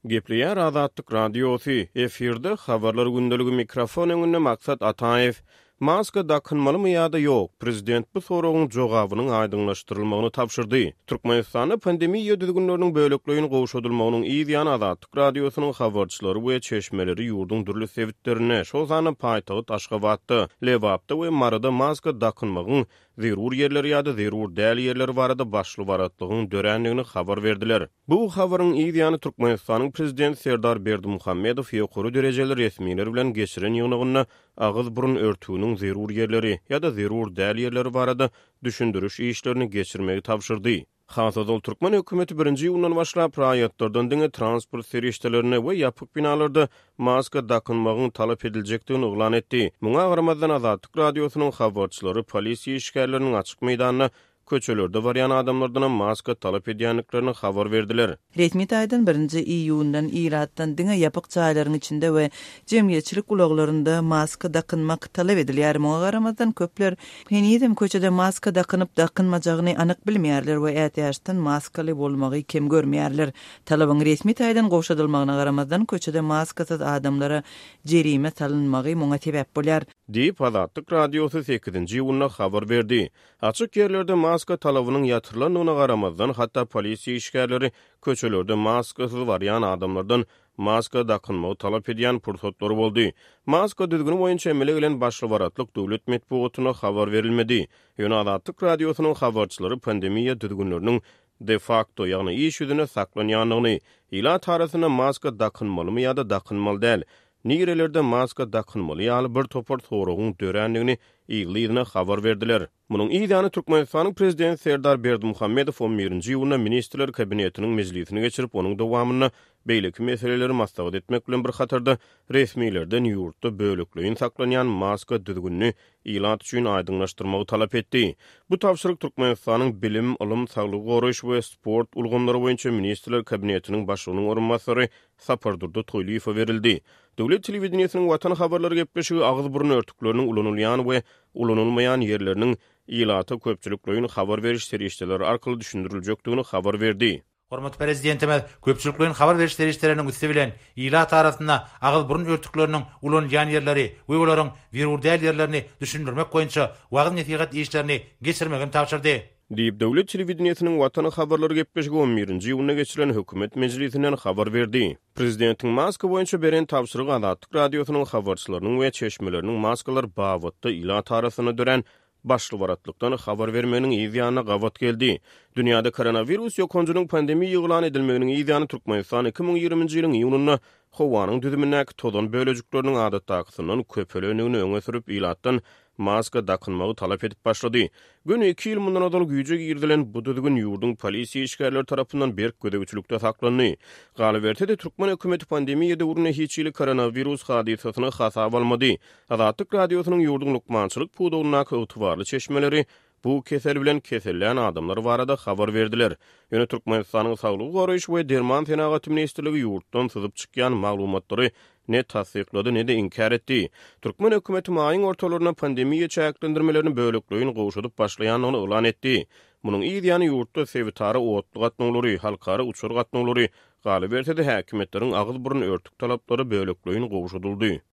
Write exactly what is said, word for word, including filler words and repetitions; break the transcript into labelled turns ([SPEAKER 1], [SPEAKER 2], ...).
[SPEAKER 1] Gepleýär Azatlyk Radiosy, efirde Habarlar gündeligi mikrofon öňünde Maksat Ataýew. Maska dakynmalymy ýa-da ýok? Prezident bu soragyň jogabynyň aýdyňlaşdyrylmagyny tabşyrdy. Türkmenistanda pandemiýa düzgünleriniň bölekleýin gowşadylmagynyň yz ýany Azatlyk Radiosynyň habarçylary we çeşmeleri ýurduň dürli sebitlerinde, şol sanda paýtagt Aşgabatda, Lebapda we Maryda maska dakynmagyň zerur ýerleri ýa-da zerur däl ýerleri barada başly-baratlygyň dörändigini habar berdiler. Bu habaryň yz ýany Türkmenistanyň Prezidenti Serdar Berdimuhamedow ýokary derejeli resmiler bilen geçiren ýygnagynda agyz-burun örtüginiň zerur ýerleri ýa-da zerur däl ýerleri barada düşündiriş işlerini geçirmegi tabşyrdy. Has ozal türkmen hökümeti birinji iýundan başlap raýatlardan diňe transport serişdelerinde we ýapyk binalarda maska dakynmagyň talap ediljekdigini yglan etdi. Muňa garamazdan Azatlyk Radiosynyň habarçylary polisiýa işgärleriniň açyk meýdanda köçelerde barýan adamlardanam maska talap edýändiklerini habar berdiler.
[SPEAKER 2] Resmi taýdan birinji iýundan ilatdan diňe ýapyk jaýlaryň içinde we jemgyýetçilik ulaglarynda maska dakynmak talap edilýär. Muňa garamazdan köpler henizem köçede maska dakynyp dakynmajagyny anyk bilmeýärler we ätiýaçdan maskaly bolmagy kem görmeýärler. Talabyň resmi taýdan gowşadylmagyna garamazdan köçede maskasyz adamlara jerime salynmagy muňa sebäp bolýar.
[SPEAKER 1] Diýip Azatlyk Radiosy sekizinji iýunda habar berdi. Açyk ýerlerde maska talabynyň ýatyrylandygyna garamazdan, hatda polisiýa işgärleri köçelerde maskasyz barýan adamlardan maska dakynmagy talap edýän pursatlary boldy. Maska düzgüni boýunça emele gelen başly-baratlyk döwlet metbugatyna habar berilmedi. Ýöne Azatlyk Radiosynyň habarçylary pandemiýa düzgünleriniň de facto, ýagny iş ýüzünde saklanýandygyny, ilat arasynda maska dakynmalymy ýa-da dakynmaly däl, nirelerde maska dakynmaly ýaly bir topar soragyň dörändigini ýygy-ýygyna habar berdiler. Munuň yz ýany Türkmenistanyň Prezidenti Serdar Berdimuhamedow on birinji iýunda Ministrler Kabinetiniň mejlisini geçirip, onuň dowamynda beýleki meseleleri maslahat etmek bilen bir hatarda resmilerden ýurtda bölekleýin saklanýan maska düzgünini ilat üçin aýdyňlaşdyrmagy talap etdi. Bu tabşyryk Türkmenistanyň Bilim, ylym, saglygy goraýyş we sport ulgamlary boýunça Ministrler Kabinetiniň başlygynyň orunbasary Sapardurdy Toýlyýewe berildi. Döwlet telewideniýesiniň Watan habarlary gepleşigi agyz-burun örtükleriniň ulanylýan we ulanylmaýan ýerleriniň ilata köpçülikleýin habar beriş serişdeleri arkaly düşündiriljekdigini habar berdi.
[SPEAKER 3] Hormatly Prezidentimiz köpçülikleýin habar beriş serişdeleriniň üsti bilen ilat arasynda agyz-burun örtükleriniň ulanylýan ýerleri we olaryň zerur däl ýerlerini düşündirmek boýunça wagyz-nesihat işlerini geçirmegi tabşyrdy.
[SPEAKER 1] Diýip, döwlet telewideniýesiniň Watan habarlary gepleşigi on birinji iýunda geçirilen hökümet mejlisinden habar berdi. Prezidentiň maska boýunça beren tabşyrygy Azatlyk Radiosynyň habarçylarynyň we çeşmeleriniň maskalar babatda ilat arasynda dörän başly-baratlykdan habar bermeginiň yz ýanyna gabat geldi. Dünýäde koronawirus ýokanjynyň pandemiýa yglan edilmeginiň yz ýany Türkmenistan iki müň ýigriminji ýylyň iýunynda howanyň düzümindäki tozan bölejikleriniň adatdakysyndan köpelendigini öňe sürüp, ilatdan maska dakynmagy talap edip başlady. Göni iki ýyl mundan ozal güýje girizilen bu düzgün ýurduň polisiýa işgärleri tarapyndan berk gözegçilikde saklandy. Galyberse-de, türkmen hökümeti pandemiýa döwründe hiç hili koronawirus hadysasyny hasaba almady. Azatlyk Radiosynyň ýurduň lukmançylyk pudagyndaky ygtybarly çeşmeleri bu kesel bilen kesellän adamlar barada habar berdiler. Ýöne Türkmenistanyň Saglygy goraýyş we derman senagaty ministrligi ýurtdan syzyp çykýan maglumatlary ne tassyklady, ne-de inkär etdi. Türkmen hökümeti maýyň ortalarynda pandemiýa çäklendirmelerini bölekleýin gowşadyp başlaýandygyny yglan etdi. Munuň yz ýany ýurtda sebitara otly gatnawlary, halkara uçar gatnawlary, galyberse-de häkimiýetleriň agyz-burun örtük talaplary bölekleýin gowşadyldy.